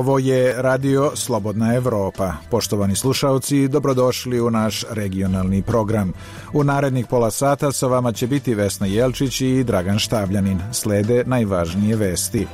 Ovo je Radio Slobodna Evropa. Poštovani slušaoci, dobrodošli u naš regionalni program. U narednih pola sata sa vama će biti Vesna Jelčić i Dragan Štavljanin. Slede najvažnije vesti.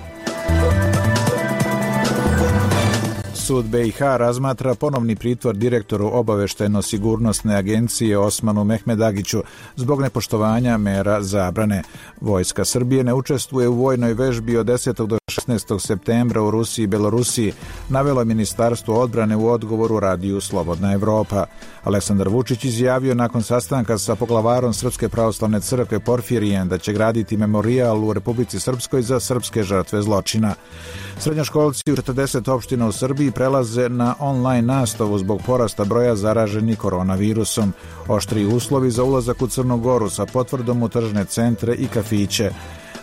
Sud BiH razmatra ponovni pritvor direktoru obaveštajno-sigurnosne agencije Osmanu Mehmedagiću zbog nepoštovanja mera zabrane. Vojska Srbije ne učestvuje u vojnoj vežbi od 10. do 16. septembra u Rusiji i Belorusiji, navelo je Ministarstvo odbrane u odgovoru Radiju Slobodna Evropa. Aleksandar Vučić izjavio nakon sastanka sa poglavarom Srpske pravoslavne crkve Porfirijem da će graditi memorijal u Republici Srpskoj za srpske žrtve zločina. Srednjoškolci u 40 opština u Srbiji prelaze na online nastavu zbog porasta broja zaraženih koronavirusom. Oštriji uslovi za ulazak u Crnu Goru sa potvrdom u tržne centre i kafiće.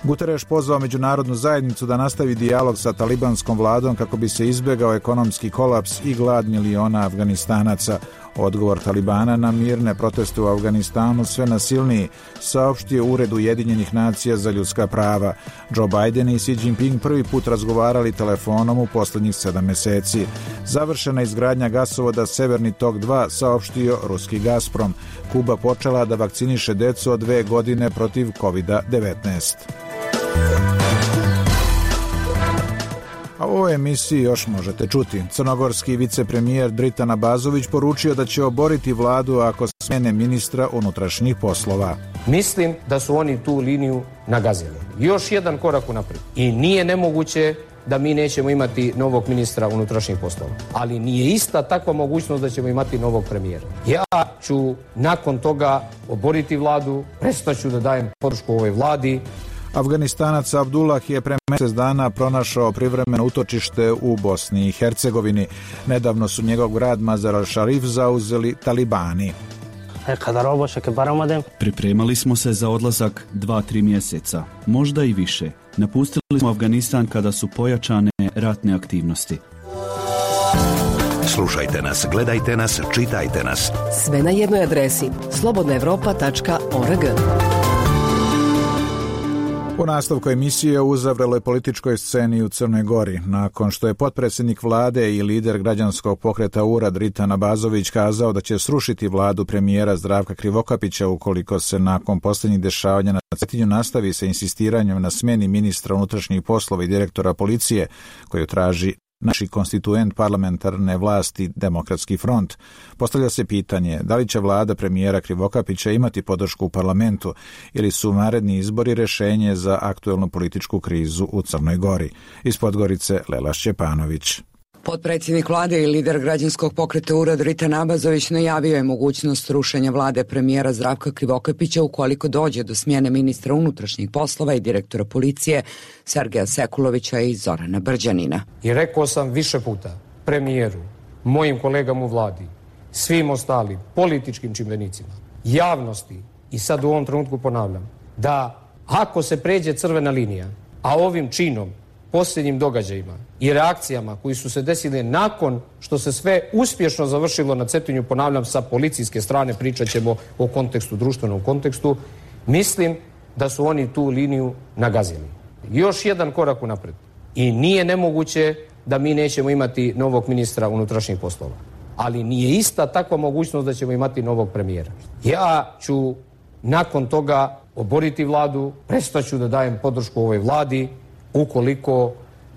Guterres pozvao međunarodnu zajednicu da nastavi dijalog sa talibanskom vladom kako bi se izbjegao ekonomski kolaps i glad miliona Afganistanaca. Odgovor Talibana na mirne proteste u Afganistanu sve nasilniji, saopštio Ured Ujedinjenih nacija za ljudska prava. Joe Biden i Xi Jinping prvi put razgovarali telefonom u posljednjih 7 meseci. Završena izgradnja gasovoda Severni tok 2, saopštio ruski Gazprom. Kuba počela da vakciniše decu od 2 godine protiv COVID-19. A u ovoj emisiji još možete čuti. Crnogorski vicepremijer Dritan Abazović poručio da će oboriti vladu ako smene ministra unutrašnjih poslova. Mislim da su oni tu liniju nagazili. Još jedan korak unaprijed. I nije nemoguće da mi nećemo imati novog ministra unutrašnjih poslova. Ali nije ista takva mogućnost da ćemo imati novog premijera. Ja ću nakon toga oboriti vladu, prestaću da dajem podršku ovoj vladi. Afganistanac Abdullah je pre mjesec dana pronašao privremeno utočište u Bosni i Hercegovini. Nedavno su njegov grad Mazar al-Sharif zauzeli Talibani. Pripremali smo se za odlazak 2-3 mjeseca, možda i više. Napustili smo Afganistan kada su pojačane ratne aktivnosti. Slušajte nas, gledajte nas, čitajte nas. Sve na jednoj adresi slobodnaevropa.org. U nastavku emisije o uzavreloj političkoj sceni u Crnoj Gori, nakon što je potpredsjednik vlade i lider građanskog pokreta URA Dritan Abazović kazao da će srušiti vladu premijera Zdravka Krivokapića ukoliko se nakon posljednjih dešavanja na Cetinju nastavi sa insistiranjem na smjeni ministra unutrašnjih poslova i direktora policije, koju traži naši konstituent parlamentarne vlasti Demokratski front. Postavlja se pitanje da li će vlada premijera Krivokapića imati podršku u parlamentu ili su naredni izbori rješenje za aktuelnu političku krizu u Crnoj Gori. Iz Podgorice Lela Šćepanović. Potpredsjednik vlade i lider građanskog pokreta URA Dritan Abazović najavio je mogućnost rušenja vlade premijera Zdravka Krivokapića ukoliko dođe do smjene ministra unutrašnjih poslova i direktora policije Sergeja Sekulovića i Zorana Brđanina. I rekao sam više puta premijeru, mojim kolegama u vladi, svim ostalim političkim čimbenicima, javnosti i sad u ovom trenutku ponavljam da ako se pređe crvena linija, a ovim činom, posljednjim događajima i reakcijama koji su se desile nakon što se sve uspješno završilo na Cetinju, ponavljam, sa policijske strane, pričat ćemo o kontekstu, društvenom kontekstu, mislim da su oni tu liniju nagazili. Još jedan korak unaprijed. I nije nemoguće da mi nećemo imati novog ministra unutrašnjih poslova. Ali nije ista takva mogućnost da ćemo imati novog premijera. Ja ću nakon toga oboriti vladu, prestaću da dajem podršku ovoj vladi ukoliko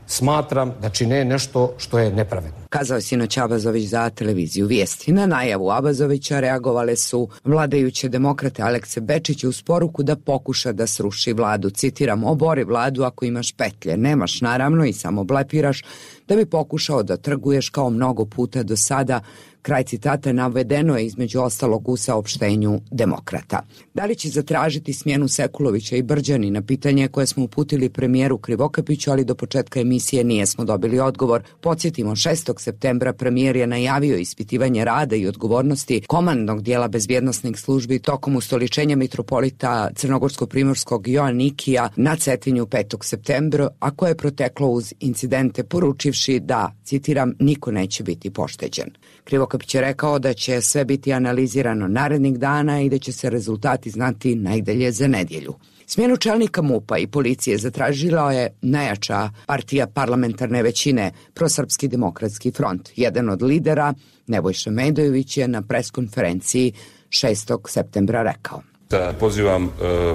smatram da čine nešto što je nepravedno. Kazao je sinoć Abazović za televiziju Vijesti. Na najavu Abazovića reagovale su vladajuće demokrate Alekse Bečića uz poruku da pokuša da sruši vladu. Citiram, obori vladu ako imaš petlje, nemaš naravno i samo blepiraš da bi pokušao da trguješ kao mnogo puta do sada. Kraj citata navedeno je između ostalog u saopštenju demokrata. Da li će zatražiti smjenu Sekulovića i Brđanina, pitanje koje smo uputili premijeru Krivokapiću, ali do početka emisije nijesmo dobili odgovor. Podsjetimo, 6. septembra premijer je najavio ispitivanje rada i odgovornosti komandnog dijela bezbjednosnih službi tokom ustoličenja mitropolita Crnogorsko-primorskog Joanikija na Cetinju 5. septembra, a koje je proteklo uz incidente poručivši da, citiram, niko neće biti pošteđen. Krivokapić je rekao da će sve biti analizirano narednih dana i da će se rezultati znati najdalje za nedjelju. Smjenu čelnika MUP-a i policije zatražila je najjača partija parlamentarne većine, Prosrpski demokratski front. Jedan od lidera, Nebojša Medojević, je na preskonferenciji 6. septembra rekao: Da pozivam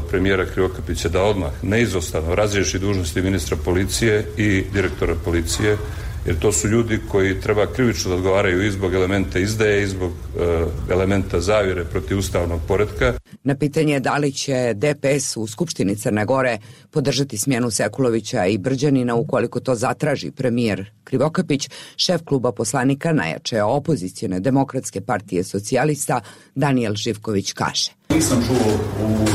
premijera Krivokapića da odmah neizostavno razriješi dužnosti ministra policije i direktora policije, jer to su ljudi koji treba krivično da odgovaraju i zbog elementa izdaje i zbog elementa zavjere protiv ustavnog poretka. Na pitanje da li će DPS u Skupštini Crne Gore podržati smjenu Sekulovića i Brđanina ukoliko to zatraži premijer Krivokapić, šef kluba poslanika najjače opozicione demokratske partije socijalista Danijel Živković kaže: Nisam čuo u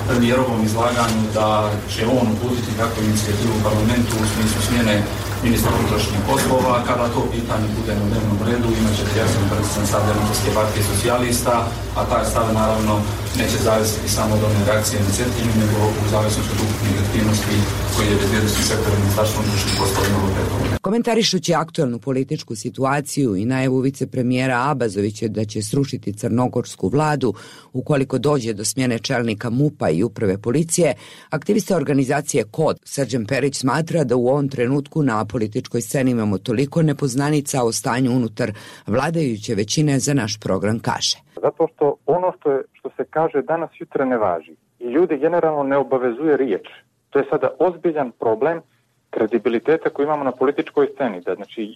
premijerovom izlaganju da će on uputiti kakvu inicijativu u parlamentu u smislu smjene ministra unutrašnjih poslova. Kada to pitanje bude na dnevnom redu, imat ćete jasan predstavljen stav Demokratske partije socijalista, a taj stav naravno neće zavisiti samo od one reakcije na Cetinju, nego u zavisnosti od ukupnih aktivnosti koje je bezbjednosni sektor ministarstva unutrašnjih poslova imalo prethodno. Komentarišući aktualnu političku situaciju i najavu vicepremijera Abazovića da će srušiti crnogorsku vladu ukoliko dođe do smjene čelnika MUP-a i uprave policije, aktivista organizacije KOD Srđan Perić smatra da u ovom trenutku na političkoj sceni imamo toliko nepoznanica o stanju unutar vladajuće većine za naš program kaže: Zato što ono što se kaže danas jutra ne važi i ljudi generalno ne obavezuje riječ. To je sada ozbiljan problem kredibiliteta koji imamo na političkoj sceni. Da, znači,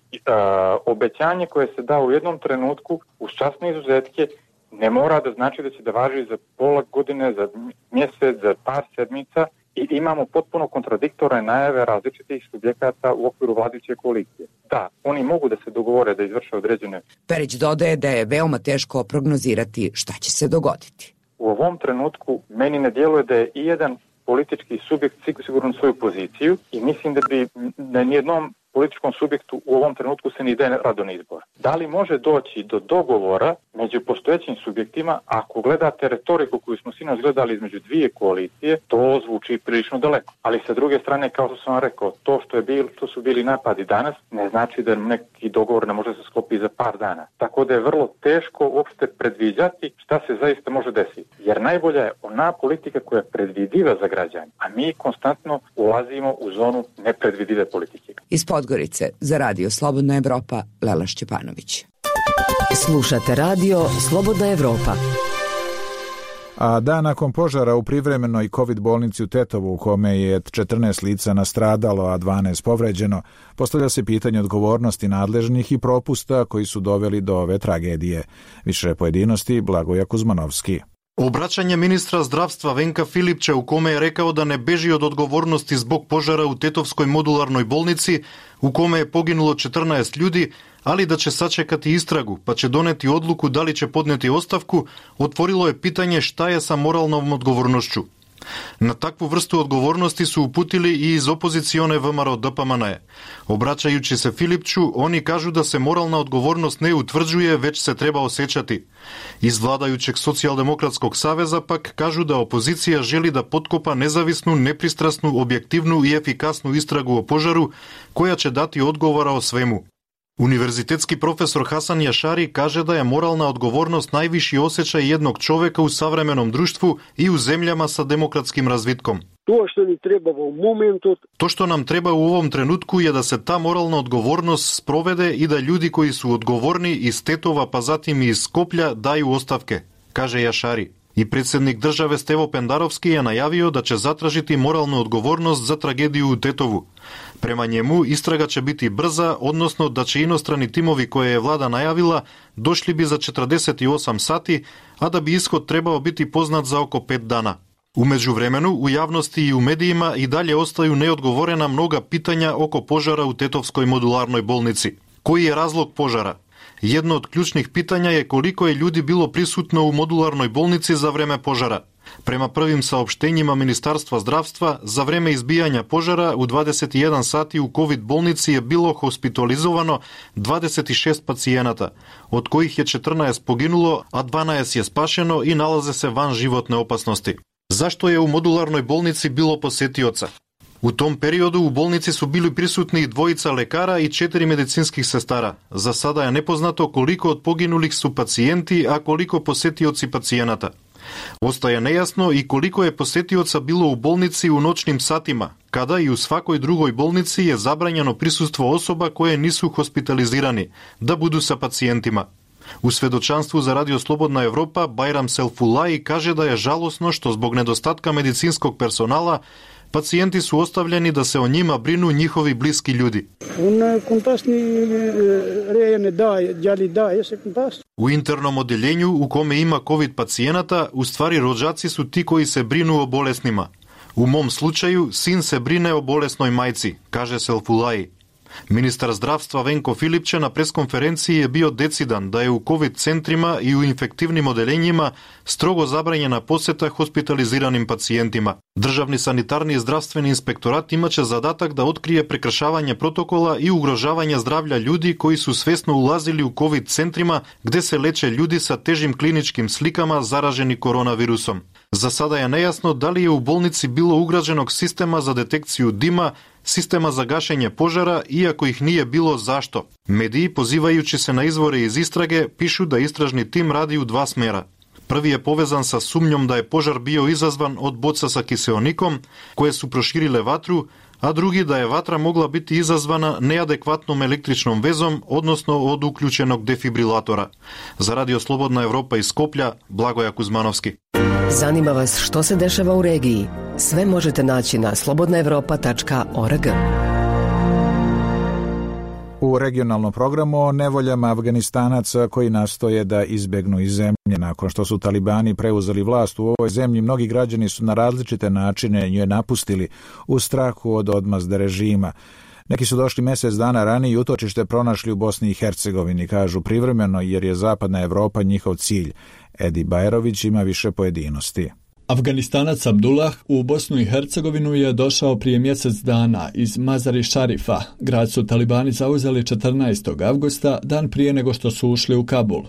obećanje koje se da u jednom trenutku uz časne izuzetke ne mora da znači da će da važi za pola godine, za mjesec, za par sedmica i imamo potpuno kontradiktorne najave različitih subjekata u okviru vladajuće koalicije. Da, oni mogu da se dogovore da izvrše određene. Perić dodaje da je veoma teško prognozirati šta će se dogoditi. U ovom trenutku meni ne djeluje da je i jedan politički subjekt sigurno svoju poziciju i mislim da bi na nijednom političkom subjektu u ovom trenutku se ne ide rado na izbor. Da li može doći do dogovora među postojećim subjektima? Ako gledate retoriku koju smo sinoć gledali između dvije koalicije, to zvuči prilično daleko. Ali sa druge strane, kao što sam vam rekao, to što su bili napadi danas, ne znači da neki dogovor ne može se sklopiti za par dana. Tako da je vrlo teško uopšte predviđati šta se zaista može desiti. Jer najbolja je ona politika koja je predvidiva za građane, a mi konstantno ulazimo u zonu nepredvidive politike. Iz Podgorice za Radio Slobodna Evropa, Lela Šćepanović. Slušate Radio Slobodna Evropa. A dan nakon požara u privremenoj COVID bolnici u Tetovu, u kome je 14 lica nastradalo, a 12 povređeno, postavlja se pitanje odgovornosti nadležnih i propusta koji su doveli do ove tragedije. Više pojedinosti Blagoja Kuzmanovski. Obraćanje ministra zdravstva Venka Filipča u kome je rekao da ne beži od odgovornosti zbog požara u Tetovskoj modularnoj bolnici u kome je poginulo 14 ljudi, ali da će sačekati istragu pa će doneti odluku da li će podneti ostavku, otvorilo je pitanje šta je sa moralnom odgovornošću. Na takvu vrstu odgovornosti su uputili i iz opozicione VMRO DPMNE. Obraćajući se Filipču, oni kažu da se moralna odgovornost ne utvrđuje, već se treba osjećati. Iz vladajućeg Socijaldemokratskog saveza pak kažu da opozicija želi da potkopa nezavisnu, nepristrasnu, objektivnu i efikasnu istragu o požaru, koja će dati odgovora o svemu. Univerzitetski profesor Hasan Jašari kaže da je moralna odgovornost najviši osjećaj jednog čoveka u savremenom društvu i u zemljama sa demokratskim razvitkom. To što nam treba u ovom trenutku je da se ta moralna odgovornost sprovede i da ljudi koji su odgovorni iz Tetova pa zatim i iz Skoplja daju ostavke, kaže Jašari. I predsjednik države Stevo Pendarovski je najavio da će zatražiti moralnu odgovornost za tragediju u Tetovu. Prema njemu istraga će biti brza, odnosno da će inostrani timovi koje je vlada najavila došli bi za 48 sati, a da bi ishod trebao biti poznat za oko 5 dana. U međuvremenu, u javnosti i u medijima i dalje ostaju neodgovorena mnoga pitanja oko požara u Tetovskoj modularnoj bolnici. Koji je razlog požara? Jedno od ključnih pitanja je koliko je ljudi bilo prisutno u modularnoj bolnici za vreme požara. Prema prvim saopštenjima Ministarstva zdravstva, za vreme izbijanja požara u 21 sati u COVID bolnici je bilo hospitalizovano 26 pacijenata, od kojih je 14 poginulo, a 12 je spašeno i nalaze se van životne opasnosti. Zašto je u modularnoj bolnici bilo posetioca? U tom periodu u bolnici su bili prisutni 2 lekara i 4 medicinskih sestara. Za sada je nepoznato koliko od poginulih su pacijenti, a koliko posetioci pacijenata. Ostaje nejasno i koliko je posetioca bilo u bolnici u noćnim satima, kada i u svakoj drugoj bolnici je zabranjeno prisustvo osoba koje nisu hospitalizirani, da budu sa pacijentima. U svedočanstvu za Radio Slobodna Evropa Bajram Selfulai kaže da je žalosno što zbog nedostatka medicinskog personala pacijenti su ostavljeni da se o njima brinu njihovi bliski ljudi. U internom odjeljenju u kome ima COVID pacijenata, u stvari rođaci su ti koji se brinu o bolesnima. U mom slučaju, sin se brine o bolesnoj majci, kaže Selfulai. Ministar zdravstva Venko Filipče na preskonferenciji je bio decidan da je u COVID centrima i u infektivnim odeljenjima strogo zabranjena poseta hospitaliziranim pacijentima. Državni sanitarni i zdravstveni inspektorat imaće zadatak da otkrije prekršavanje protokola i ugrožavanje zdravlja ljudi koji su svesno ulazili u COVID centrima gde se leče ljudi sa težim kliničkim slikama zaraženi koronavirusom. Za sada je nejasno da li je u bolnici bilo ugrađenog sistema za detekciju dima, sistema za gašenje požara, iako ih nije bilo zašto. Mediji, pozivajući se na izvore iz istrage, pišu da istražni tim radi u 2 smjera. Prvi je povezan sa sumnjom da je požar bio izazvan od boca sa kiseonikom, koje su proširile vatru, a drugi da je vatra mogla biti izazvana neadekvatnom električnom vezom, odnosno od uključenog defibrilatora. Za Radio Slobodna Evropa iz Skoplja, Blagoja Kuzmanovski. Zanima vas što se dešava u regiji? Sve možete naći na slobodnaevropa.org. U regionalnom programu o nevoljama Afganistanaca koji nastoje da izbegnu iz zemlje. Nakon što su talibani preuzeli vlast u ovoj zemlji, mnogi građani su na različite načine nje napustili u strahu od odmazde režima. Neki su došli mjesec dana ranije i utočište pronašli u Bosni i Hercegovini, kažu privremeno jer je Zapadna Evropa njihov cilj. Edi Bajrović ima više pojedinosti. Afganistanac Abdullah u Bosnu i Hercegovinu je došao prije mjesec dana iz Mazari Šarifa. Grad su talibani zauzeli 14. avgusta, dan prije nego što su ušli u Kabul.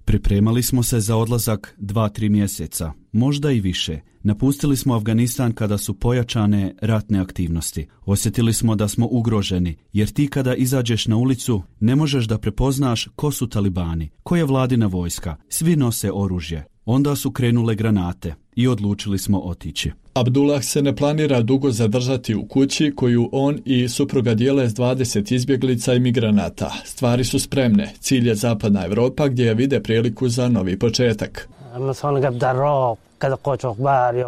Pripremali smo se za odlazak 2-3 mjeseca, možda i više. Napustili smo Afganistan kada su pojačane ratne aktivnosti. Osjetili smo da smo ugroženi, jer ti kada izađeš na ulicu ne možeš da prepoznaš ko su talibani, ko je vladina vojska, svi nose oružje. Onda su krenule granate i odlučili smo otići. Abdullah se ne planira dugo zadržati u kući koju on i supruga dijele s 20 izbjeglica i migranata. Stvari su spremne. Cilj je Zapadna Evropa gdje je vide priliku za novi početak.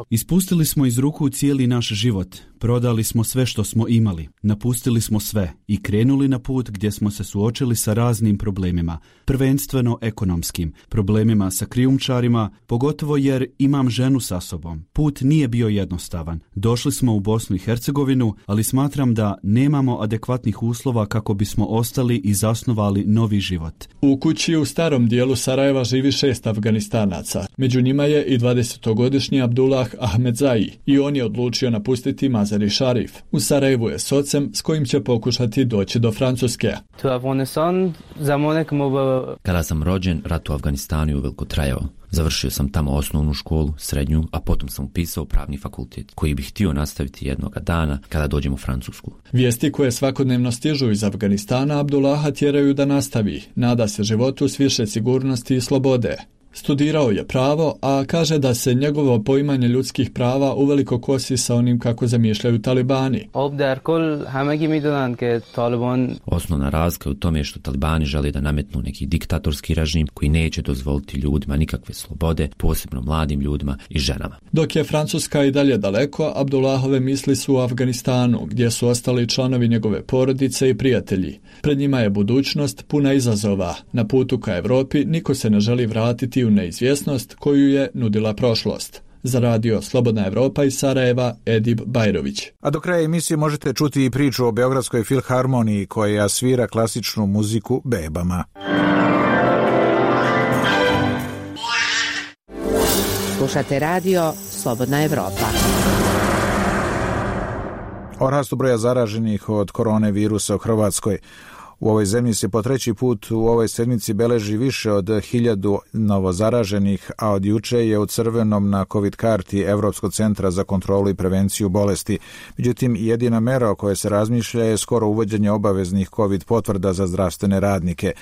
Ispustili smo iz ruku cijeli naš život, prodali smo sve što smo imali, napustili smo sve i krenuli na put gdje smo se suočili sa raznim problemima, prvenstveno ekonomskim, problemima sa krijumčarima, pogotovo jer imam ženu sa sobom. Put nije bio jednostavan. Došli smo u Bosnu i Hercegovinu, ali smatram da nemamo adekvatnih uslova kako bismo ostali i zasnovali novi život. U kući u starom dijelu Sarajeva živi 6 Afganistanaca. Među njima je i 20-godišnji Abdullah Ahmedzai i on je odlučio napustiti Mazari Šarif. U Sarajevu je s ocem s kojim će pokušati doći do Francuske. Kada sam rođen, rat u Afganistanu je uveliko trajao. Završio sam tamo osnovnu školu, srednju, a potom sam upisao pravni fakultet, koji bih htio nastaviti jednoga dana kada dođem u Francusku. Vijesti koje svakodnevno stižu iz Afganistana Abdullaha tjeraju da nastavi. Nada se životu s više sigurnosti i slobode. Studirao je pravo, a kaže da se njegovo poimanje ljudskih prava uveliko kosi sa onim kako zamišljaju talibani. Osnovna razlika je u tome što talibani žele da nametnu neki diktatorski režim koji neće dozvoliti ljudima nikakve slobode, posebno mladim ljudima i ženama. Dok je Francuska i dalje daleko, Abdullahove misli su u Afganistanu, gdje su ostali članovi njegove porodice i prijatelji. Pred njima je budućnost puna izazova. Na putu ka Evropi niko se ne želi vratiti u neizvjesnost koju je nudila prošlost. Za Radio Slobodna Evropa iz Sarajeva, Edib Bajrović. A do kraja emisije možete čuti i priču o Beogradskoj filharmoniji koja svira klasičnu muziku bebama. Slušate Radio Slobodna Evropa. O rastu broja zaraženih od koronavirusa u Hrvatskoj. U ovoj zemlji se po treći put u ovoj sedmici beleži više od 1000 novozaraženih, a od juče je u crvenom na COVID karti Evropskog centra za kontrolu i prevenciju bolesti. Međutim, jedina mera o kojoj se razmišlja je skoro uvođenje obaveznih COVID potvrda za zdravstvene radnike.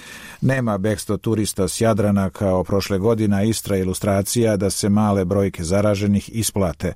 Nema bekstvo turista s Jadrana kao prošle godine, istra ilustracija da se male brojke zaraženih isplate.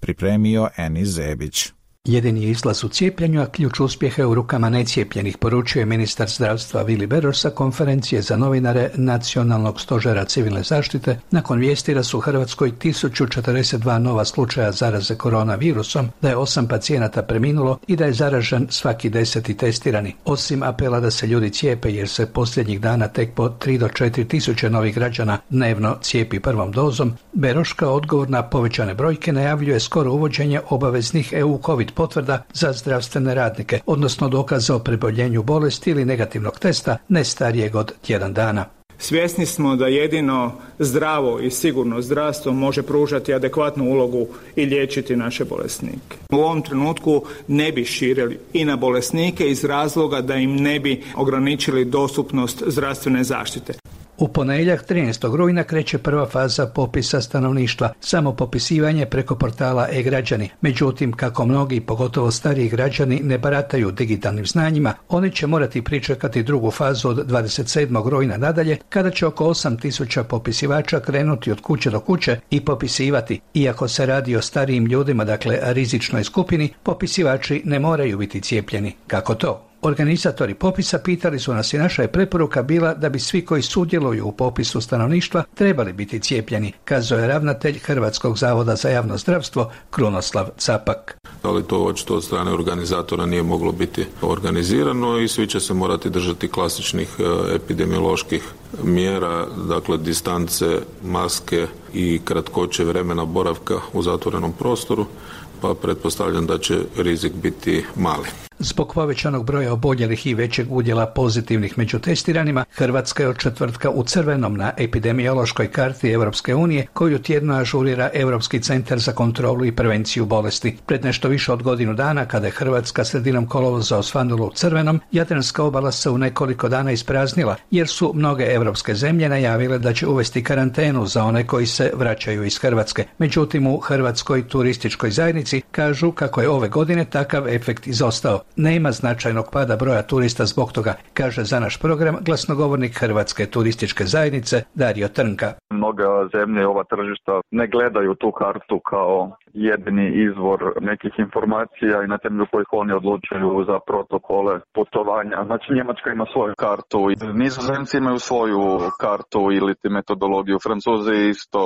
Pripremio Enis Zebić. Jedini je izlaz u cijepljenju, a ključ uspjeha je u rukama necijepljenih, poručuje ministar zdravstva Vili Beroš sa konferencije za novinare Nacionalnog stožera civilne zaštite nakon vijesti da su u Hrvatskoj 1042 nova slučaja zaraze koronavirusom, da je 8 pacijenata preminulo i da je zaražen svaki 10. testirani. Osim apela da se ljudi cijepe jer se posljednjih dana tek po 3 do 4 tisuće novih građana dnevno cijepi prvom dozom, Beroš kao odgovor na povećane brojke najavljuje skoro uvođenje obaveznih EU COVID potvrda za zdravstvene radnike, odnosno dokaza o preboljenju bolesti ili negativnog testa ne starijeg od tjedan dana. Svjesni smo da jedino zdravo i sigurno zdravstvo može pružati adekvatnu ulogu i liječiti naše bolesnike. U ovom trenutku ne bi širili i na bolesnike iz razloga da im ne bi ograničili dostupnost zdravstvene zaštite. U ponedjeljak 13. rujna kreće prva faza popisa stanovništva, samo popisivanje preko portala e-građani. Međutim, kako mnogi, pogotovo stariji građani, ne barataju digitalnim znanjima, oni će morati pričekati drugu fazu od 27. rujna nadalje, kada će oko 8000 popisivača krenuti od kuće do kuće i popisivati. Iako se radi o starijim ljudima, dakle rizičnoj skupini, popisivači ne moraju biti cijepljeni. Kako to? Organizatori popisa pitali su nas i naša je preporuka bila da bi svi koji sudjeluju u popisu stanovništva trebali biti cijepljeni, kazao je ravnatelj Hrvatskog zavoda za javno zdravstvo Krunoslav Capak. Ali to očito od strane organizatora nije moglo biti organizirano i svi će se morati držati klasičnih epidemioloških mjera, dakle distance, maske i kratkoće vremena boravka u zatvorenom prostoru, pa pretpostavljam da će rizik biti mali. Zbog povećanog broja oboljelih i većeg udjela pozitivnih među testiranima, Hrvatska je od četvrtka u crvenom na epidemiološkoj karti Europske unije, koju tjedno ažurira Europski centar za kontrolu i prevenciju bolesti. Pred nešto više od godinu dana, kada je Hrvatska sredinom kolovoza osvanula u crvenom, Jadranska obala se u nekoliko dana ispraznila, jer su mnoge europske zemlje najavile da će uvesti karantenu za one koji se vraćaju iz Hrvatske. Međutim, u Hrvatskoj turističkoj zajednici kažu kako je ove godine takav efekt izostao. Nema značajnog pada broja turista zbog toga, kaže za naš program glasnogovornik Hrvatske turističke zajednice Dario Trnka. Mnoge zemlje, ova tržišta ne gledaju tu kartu kao jedini izvor nekih informacija i na temelju kojih oni odlučuju za protokole putovanja. Znači Njemačka ima svoju kartu, Nizozemci imaju svoju kartu ili metodologiju, Francuzi isto.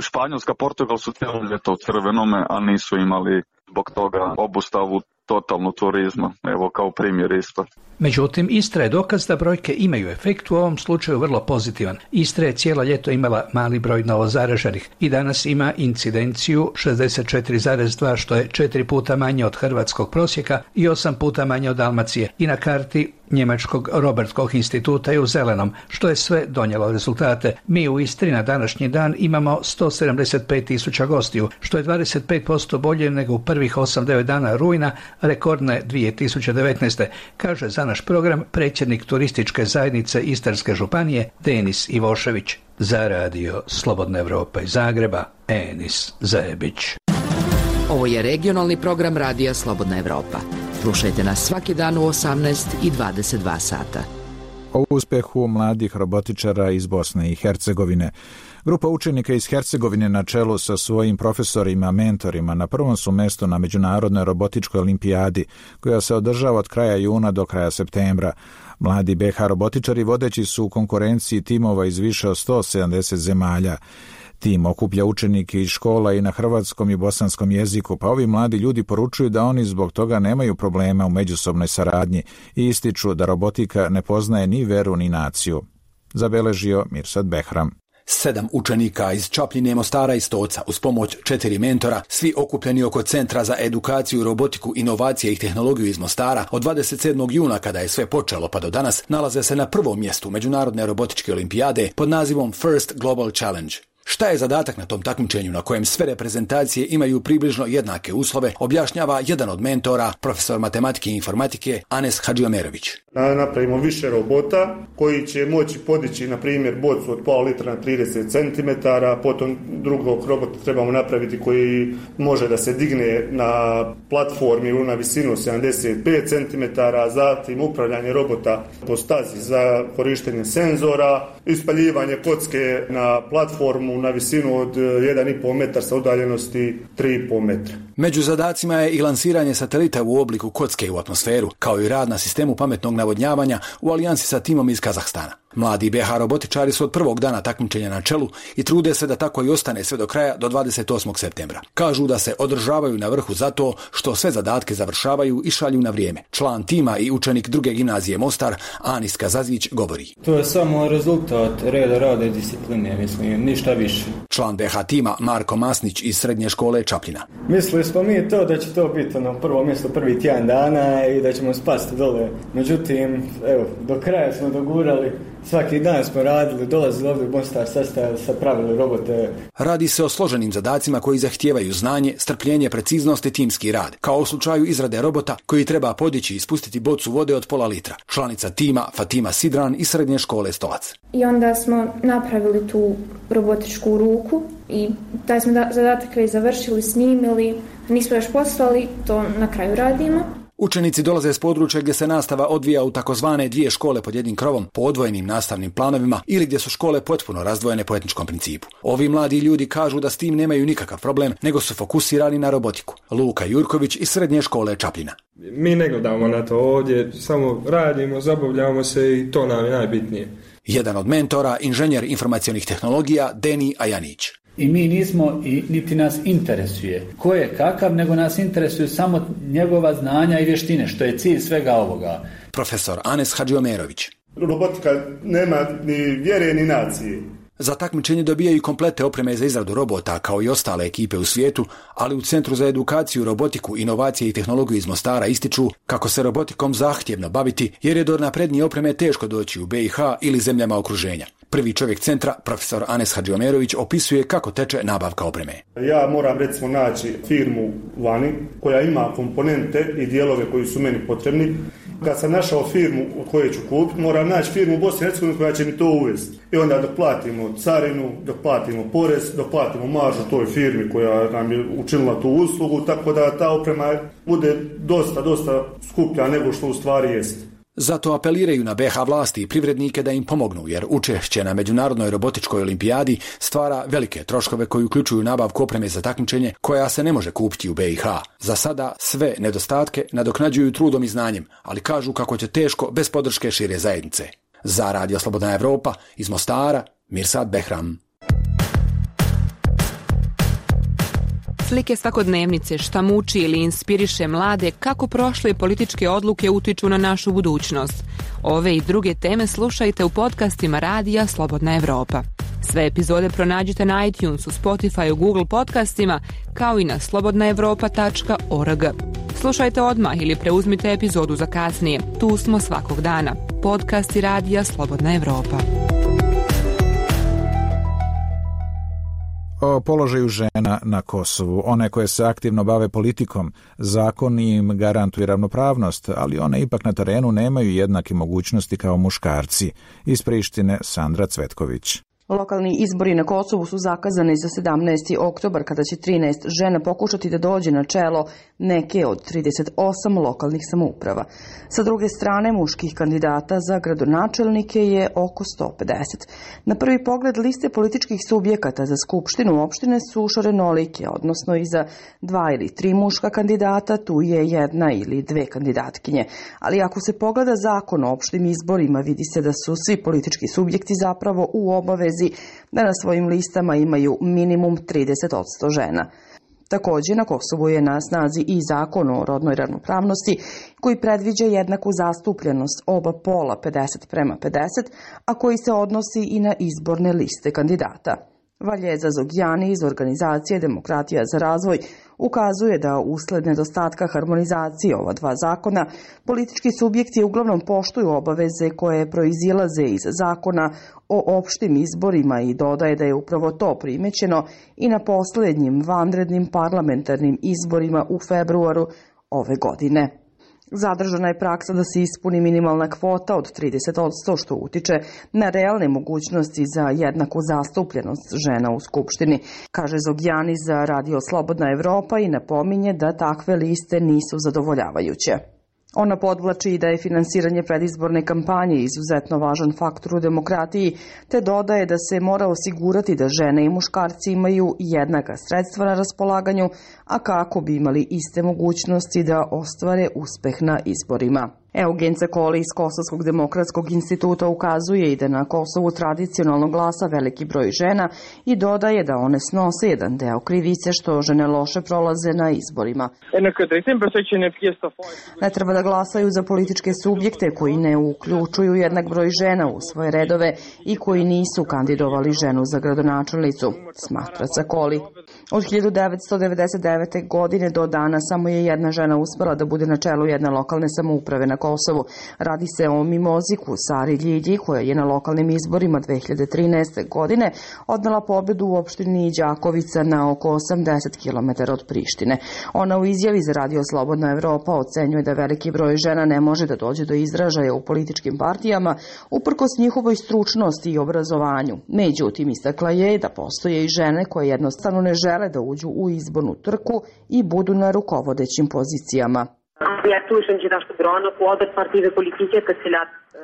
Španjolska, Portugal su cijelo ljeto u crvenome, a nisu imali zbog toga obustavu totalno turizma, evo kao primjer isto. Međutim, Istra je dokaz da brojke imaju efekt, u ovom slučaju vrlo pozitivan. Istra je cijelo ljeto imala mali broj novozaraženih i danas ima incidenciju 64,2, što je 4 puta manje od hrvatskog prosjeka i 8 puta manje od Dalmacije. I na karti Njemačkog Robert Koch instituta je u zelenom, što je sve donijelo rezultate. Mi u Istri na današnji dan imamo 175.000 gostiju, što je 25% bolje nego u prvih 8-9 dana rujna rekordne 2019. kaže za naš program predsjednik turističke zajednice Istarske županije Denis Ivošević. Za radio Slobodna Evropa iz Zagreba, Enis Zebić. Ovo je regionalni program radija Slobodna Evropa. Slušajte nas svaki dan u 18 i 22 sata. O uspjehu mladih robotičara iz Bosne i Hercegovine. Grupa učenika iz Hercegovine na čelu sa svojim profesorima, mentorima na prvom su mjestu na Međunarodnoj robotičkoj olimpijadi, koja se održava od kraja juna do kraja septembra. Mladi BH robotičari vodeći su u konkurenciji timova iz više od 170 zemalja. Tim okuplja učenike iz škola i na hrvatskom i bosanskom jeziku, pa ovi mladi ljudi poručuju da oni zbog toga nemaju problema u međusobnoj saradnji i ističu da robotika ne poznaje ni veru ni naciju. Zabeležio Mirsad Behram. 7 učenika iz Čapljine, Mostara i Stoca uz pomoć 4 mentora, svi okupljeni oko Centra za edukaciju, robotiku, inovacije i tehnologiju iz Mostara, od 27. juna kada je sve počelo pa do danas, nalaze se na prvom mjestu Međunarodne robotičke olimpijade pod nazivom First Global Challenge. Šta je zadatak na tom takmičenju na kojem sve reprezentacije imaju približno jednake uslove, objašnjava jedan od mentora, profesor matematike i informatike Anes Hadžiomerović. Napravimo više robota koji će moći podići, na primjer, bocu od pola litra na 30 cm, potom drugog robota trebamo napraviti koji može da se digne na platformi ili na visinu 75 cm, zatim upravljanje robota po stazi za korištenje senzora, ispaljivanje kocke na platformu na visinu od 1,5 metra sa udaljenosti 3,5 metra. Među zadacima je i lansiranje satelita u obliku kocke u atmosferu, kao i rad na sistemu pametnog navodnjavanja u alijansi sa timom iz Kazahstana. Mladi BH robotičari su od prvog dana takmičenja na čelu i trude se da tako i ostane sve do kraja, do 28. septembra. Kažu da se održavaju na vrhu zato što sve zadatke završavaju i šalju na vrijeme. Član tima i učenik druge gimnazije Mostar, Anis Kazazić, govori. To je samo rezultat rada i discipline, mislim, ništa više. Član BH tima Marko Masnić iz srednje škole Čapljina. Mislili smo mi to da će to biti na prvo mjesto prvi tjedan dana i da ćemo spasti dole. Međutim, evo, do kraja smo dogurali. Svaki dan smo radili, dolazili ovdje u Mostar, sastavili sa pravili robote. Radi se o složenim zadacima koji zahtijevaju znanje, strpljenje, preciznost i timski rad, kao u slučaju izrade robota koji treba podići i spustiti bocu vode od pola litra. Članica tima Fatima Sidran iz srednje škole Stolac. I onda smo napravili tu robotičku ruku i taj smo zadatak već završili, snimili, nismo još poslali, to na kraju radimo. Učenici dolaze s područja gdje se nastava odvija u takozvane dvije škole pod jednim krovom po odvojenim nastavnim planovima ili gdje su škole potpuno razdvojene po etničkom principu. Ovi mladi ljudi kažu da s tim nemaju nikakav problem, nego su fokusirani na robotiku. Luka Jurković iz srednje škole Čapljina. Mi ne gledamo na to ovdje, samo radimo, zabavljamo se i to nam je najbitnije. Jedan od mentora, inženjer informacionih tehnologija Deni Ajanić. I mi nismo i niti nas interesuje ko je kakav, nego nas interesuju samo njegova znanja i vještine, što je cilj svega ovoga. Profesor Anes Hadžiomerović. Robotika nema ni vjere ni nacije. Za takmičenje dobijaju komplete opreme za izradu robota kao i ostale ekipe u svijetu, ali u Centru za edukaciju, robotiku, inovacije i tehnologiju iz Mostara ističu kako se robotikom zahtjevno baviti jer je do naprednije opreme teško doći u BiH ili zemljama okruženja. Prvi čovjek centra, profesor Anes Hadžiomerović, opisuje kako teče nabavka opreme. Ja moram recimo naći firmu vani koja ima komponente i dijelove koji su meni potrebni. Kad sam našao firmu koju ću kupiti, moram naći firmu u Bosni i Hercegovini koja će mi to uvesti. I onda dok platimo carinu, dok platimo porez, dok platimo maržu toj firmi koja nam je učinila tu uslugu, tako da ta oprema bude dosta skuplja nego što u stvari jest. Zato apeliraju na BiH vlasti i privrednike da im pomognu, jer učešće na Međunarodnoj robotičkoj olimpijadi stvara velike troškove koji uključuju nabavku opreme za takmičenje koja se ne može kupiti u BiH. Za sada sve nedostatke nadoknađuju trudom i znanjem, ali kažu kako će teško bez podrške šire zajednice. Za Radio Slobodna Evropa iz Mostara, Mirsad Behram. Slike svakodnevnice, šta muči ili inspiriše mlade, kako prošle političke odluke utiču na našu budućnost. Ove i druge teme slušajte u podcastima Radija Slobodna Evropa. Sve epizode pronađite na iTunesu, Spotify, Google podcastima, kao i na slobodnaevropa.org. Slušajte odmah ili preuzmite epizodu za kasnije. Tu smo svakog dana. Podcasti Radija Slobodna Evropa. O položaju žena na Kosovu. One koje se aktivno bave politikom, zakon im garantuje ravnopravnost, ali one ipak na terenu nemaju jednake mogućnosti kao muškarci. Iz Prištine Sandra Cvetković. Lokalni izbori na Kosovu su zakazani za 17. oktobar kada će 13 žena pokušati da dođe na čelo neke od 38 lokalnih samouprava. Sa druge strane, muških kandidata za gradonačelnike je oko 150. Na prvi pogled liste političkih subjekata za skupštinu opštine su šarenolike, odnosno i za 2 ili 3 muška kandidata tu je 1 ili 2 kandidatkinje. Ali ako se pogleda zakon o opštim izborima, vidi se da su svi politički subjekti zapravo u obavezi da na svojim listama imaju minimum 30% žena. Također na Kosovu je na snazi i zakon o rodnoj ravnopravnosti koji predviđa jednaku zastupljenost oba pola 50:50, a koji se odnosi i na izborne liste kandidata. Valjeza Zogjani iz organizacije Demokratija za razvoj ukazuje da usled nedostatka harmonizacije ova dva zakona, politički subjekti uglavnom poštuju obaveze koje proizilaze iz zakona o opštim izborima i dodaje da je upravo to primećeno i na posljednjim vanrednim parlamentarnim izborima u februaru ove godine. Zadržana je praksa da se ispuni minimalna kvota od 30%, što utiče na realne mogućnosti za jednaku zastupljenost žena u Skupštini, kaže Zogjani za Radio Slobodna Evropa i napominje da takve liste nisu zadovoljavajuće. Ona podvlači da je finansiranje predizborne kampanje izuzetno važan faktor u demokratiji, te dodaje da se mora osigurati da žene i muškarci imaju jednaka sredstva na raspolaganju, a kako bi imali iste mogućnosti da ostvare uspeh na izborima. Eugen Cekoli iz Kosovskog demokratskog instituta ukazuje i da na Kosovu tradicionalno glasa veliki broj žena i dodaje da one snose jedan deo krivice što žene loše prolaze na izborima. Ne treba da glasaju za političke subjekte koji ne uključuju jednak broj žena u svoje redove i koji nisu kandidovali ženu za gradonačelnicu, smatra Cekoli. Od 1999. godine do dana samo je jedna žena uspela da bude na čelu jedne lokalne samouprave na Kosovu. Radi se o Mimoziku Sari Ljilji, koja je na lokalnim izborima 2013. godine odnela pobedu u opštini Đakovica na oko 80 km od Prištine. Ona u izjavi za Radio Slobodna Evropa ocenjuje da veliki broj žena ne može da dođe do izražaja u političkim partijama uprkos njihovoj stručnosti i obrazovanju. Međutim, istakla je da postoje i žene koje jednostavno ne žele da uđu u izbornu trku i budu na rukovodećim pozicijama.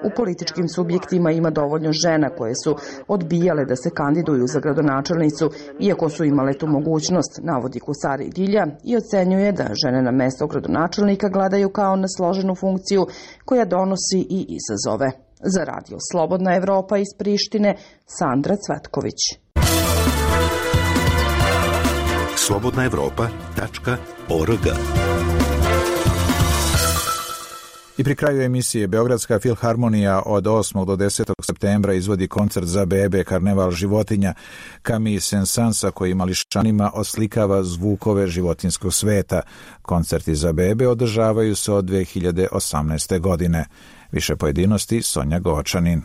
U političkim subjektima ima dovoljno žena koje su odbijale da se kandiduju za gradonačelnicu, iako su imale tu mogućnost, navodi Kusari Dilja i ocenjuje da žene na mesto gradonačelnika gledaju kao na složenu funkciju koja donosi i izazove. Za Radio Slobodna Evropa iz Prištine, Sandra Cvetković. slobodnaevropa.org. I pri kraju emisije Beogradska filharmonija od 8. do 10. septembra izvodi koncert za bebe Karneval životinja. Camille Saint-Sansa koji mališanima oslikava zvukove životinskog sveta. Koncerti za bebe održavaju se od 2018. godine. Više pojedinosti Sonja Gočanin.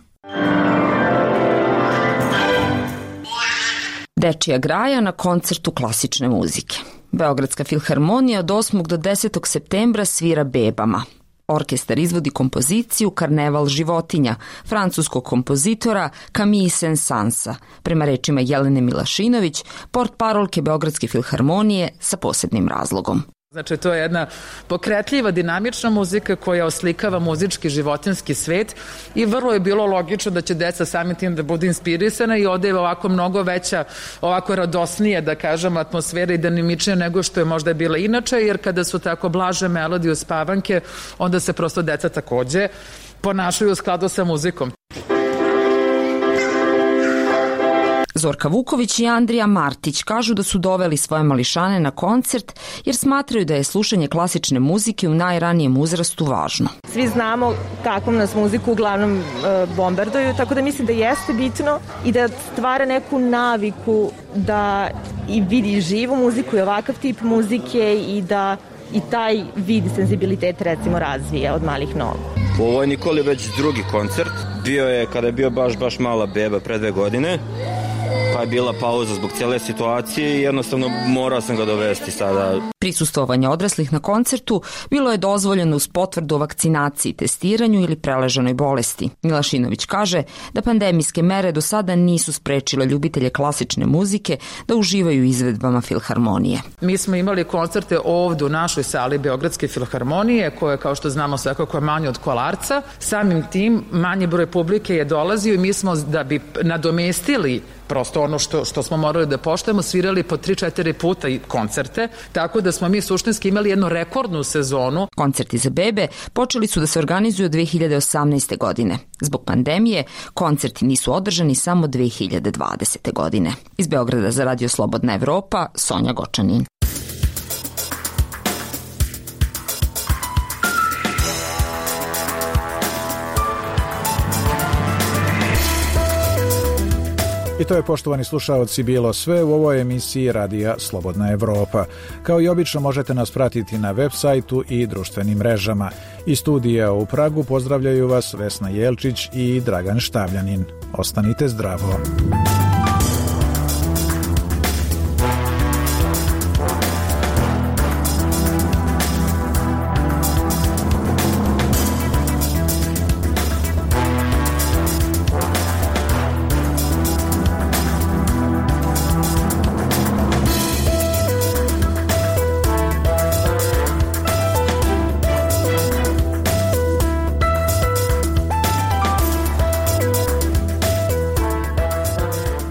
Dečija graja na koncertu klasične muzike. Beogradska filharmonija od 8. do 10. septembra svira bebama. Orkestar izvodi kompoziciju Karneval životinja francuskog kompozitora Camille Saint-Sansa, prema rečima Jelene Milašinović, portparolke Beogradske filharmonije sa posebnim razlogom. Znači, to je jedna pokretljiva, dinamična muzika koja oslikava muzički životinski svet i vrlo je bilo logično da će deca samim tim da budu inspirisana i ovde je ovako mnogo veća, ovako radosnije, da kažem, atmosfera i dinamičnija nego što je možda bila inače, jer kada su tako blaže melodije uspavanke, onda se prosto deca takođe ponašaju u skladu sa muzikom. Zorka Vuković i Andrija Martić kažu da su doveli svoje mališane na koncert jer smatraju da je slušanje klasične muzike u najranijem uzrastu važno. Svi znamo kakvom nas muziku uglavnom bombarduju, tako da mislim da jeste bitno i da stvara neku naviku da i vidi živu muziku i ovakav tip muzike i da i taj vid senzibilitet recimo razvija od malih nogu. Ovo je Nikoli već drugi koncert. Bio je kada je bio baš mala beba pre 2 godine. Pa je bila pauza zbog cijele situacije i jednostavno morao sam ga dovesti sada. Prisustvovanje odraslih na koncertu bilo je dozvoljeno uz potvrdu o vakcinaciji, testiranju ili preležanoj bolesti. Milašinović kaže da pandemijske mere do sada nisu sprečile ljubitelje klasične muzike da uživaju izvedbama filharmonije. Mi smo imali koncerte ovdje u našoj sali Beogradske filharmonije, koja kao što znamo svakako je manje od Kolarca. Samim tim manji broj publike je dolazio i mi smo da bi nadomestili prosto ono što smo morali da poštujemo, svirali po 3-4 puta i koncerte, tako da smo mi suštinski imali jednu rekordnu sezonu. Koncerti za bebe počeli su da se organizuju od 2018. godine. Zbog pandemije, koncerti nisu održani samo 2020. godine. Iz Beograda za Radio Slobodna Evropa, Sonja Gočanin. I to je, poštovani slušaoci, bilo sve u ovoj emisiji Radija Slobodna Evropa. Kao i obično možete nas pratiti na web sajtu i društvenim mrežama. Iz studija u Pragu pozdravljaju vas Vesna Jelčić i Dragan Štavljanin. Ostanite zdravo.